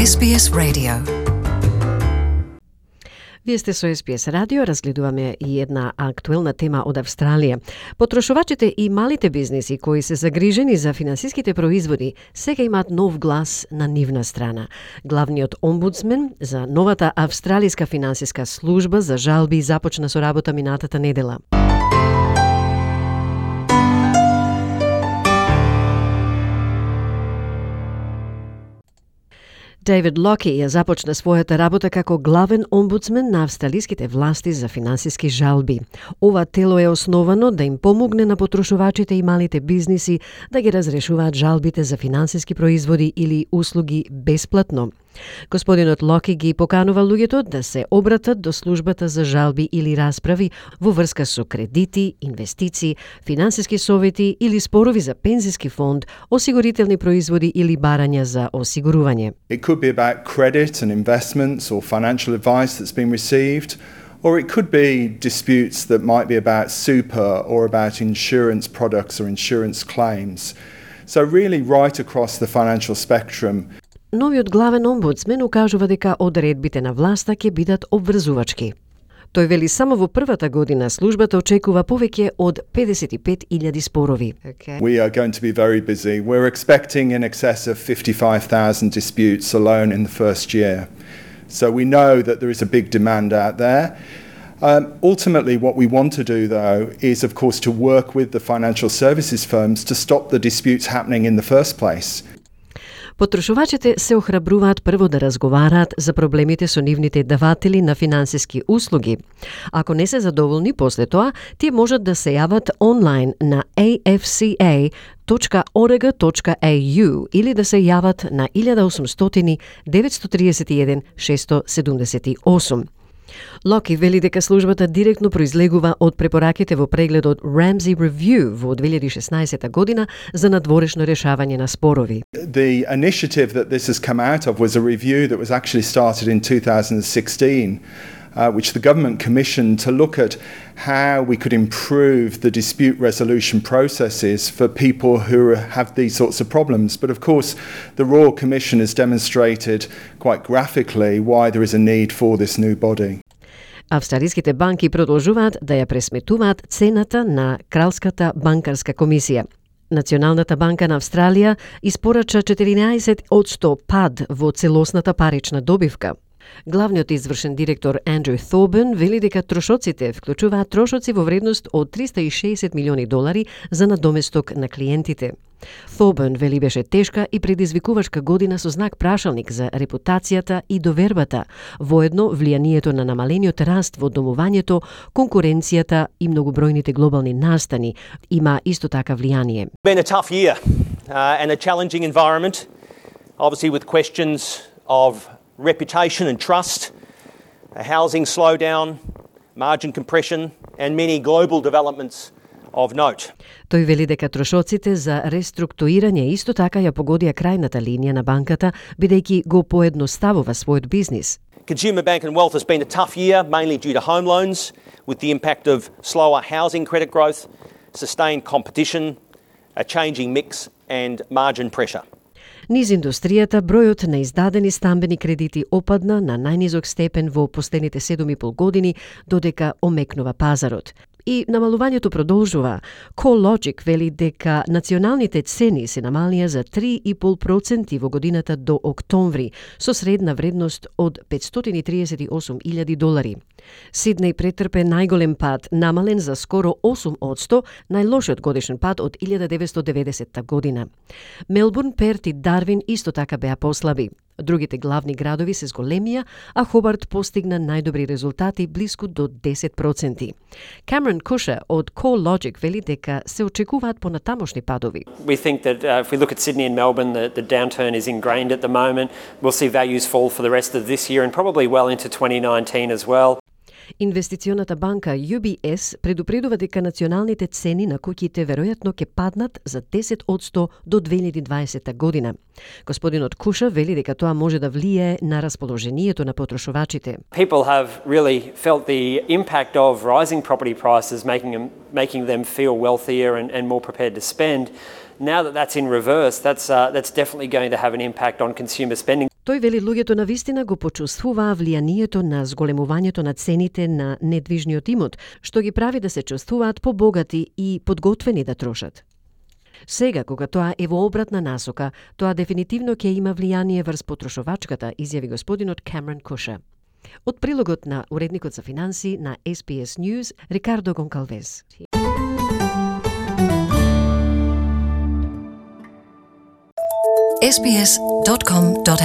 SBS Radio. Вие сте со SBS радио, разгледуваме и една актуелна тема од Австралија. Потрошувачите и малите бизниси кои се загрижени за финансиските производи сега имаат нов глас на нивна страна. Главниот омбудсмен за новата австралиска финансиска служба за жалби започна со работа минатата недела. Дейвид Локи ја започна својата работа како главен омбудсмен на австралиските власти за финансиски жалби. Ова тело е основано да им помогне на потрошувачите и малите бизниси да ги разрешуваат жалбите за финансиски производи или услуги бесплатно. Господинот Локи ги поканува луѓето да се обратат до службата за жалби или расправи во врска со кредити, инвестиции, финансиски совети или спорови за пензиски фонд, осигурителни производи или барања за осигурување. It could be about credit and investments or financial advice that's been received, or it could be disputes that might be about super or about insurance products or insurance claims. So really right across the financial spectrum. Новиот главен омбудсмен укажува дека одредбите на власта ќе бидат обврзувачки. Тој вели само во првата година службата очекува повеќе од 55,000 спорови. We are going to be very busy. We're expecting in excess of 55,000 disputes alone in the first year. So we know that there is a big demand out there. Ultimately, what we want to do, though, is, of course, to work with the financial services firms to stop the disputes happening in the first place. Потрошувачите се охрабруваат прво да разговараат за проблемите со нивните даватели на финансиски услуги. Ако не се задоволни после тоа, тие можат да се јават онлайн на afca.org.au или да се јават на 1800 931 678. Локи вели дека службата директно произлегува од препораките во прегледот Ramsey Review во 2016 година за надворешно решавање на спорови. The initiative that this has come out of was a review that was actually started in 2016, which the government commissioned to look at how we could improve the dispute resolution processes for people who have these sorts of problems. But of course, the Royal Commission has demonstrated quite graphically why there is a need for this new body. Австралиските банки продолжуваат да ја пресметуваат цената на Кралската банкарска комисија. Националната банка на Австралија испорача 14% пад во целосната парична добивка. Главниот извршен директор Андрю Thorburn вели дека трошоците вклучуваат трошоци во вредност од $360 милиони за надоместок на клиентите. Thorburn вели беше тешка и предизвикувачка година со знак прашалник за репутацијата и довербата, воедно влијанието на намалениот раст во домувањето, конкуренцијата и многобројните глобални настани има исто така влијание. Been a tough year and a challenging environment, obviously with questions of reputation and trust, a housing slowdown, margin compression and many global developments of note. Тој вели дека трошоците за реструктурирање исто така ја погодија крајната линија на банката, бидејќи го поедноставува својот бизнис. Consumer Bank and Wealth has been a tough year, mainly due to home loans, with the impact of slower housing credit growth, sustained competition, a changing mix and margin pressure. Низ индустријата, бројот на издадени стамбени кредити опадна на најнизок степен во последните 7,5 години, додека омекнува пазарот. И намалувањето продолжува. CoreLogic вели дека националните цени се намалија за 3,5% во годината до октомври, со средна вредност од $538,000. Сиднеј претрпе најголем пад, намален за скоро 8%, најлошиот годишен пад од 1990 година. Мелбурн, Перт и Дарвин исто така беа послаби. Другите главни градови се зголемија, а Хобарт постигна најдобри резултати блиску до 10%. Камерон Куша од CoreLogic вели дека се очекуваат понатамошни падови. We think that if we look at Sydney and Melbourne, the downturn is ingrained at the moment. We'll see values fall for the rest of this year and probably well into 2019 as well. Инвестиционата банка UBS предупредува дека националните цени на куќите веројатно ќе паднат за 10% до 2020 година. Господинот Куша вели дека тоа може да влијае на расположението на потрошувачите. People have really felt the impact of rising property prices, making them feel wealthier and more prepared to spend. Now that that's in reverse, that's definitely going to have an impact on consumer spending. Тој вели луѓето на вистина го почувствуваа влијанието на зголемувањето на цените на недвижниот имот, што ги прави да се чувствуваат побогати и подготвени да трошат. Сега, кога тоа е во обратна насока, тоа дефинитивно ќе има влијание врз потрошувачката, изјави господинот Камерон Куша. Од прилогот на уредникот за финанси на SBS News, Рикардо Гонкалвес. sbs.com.au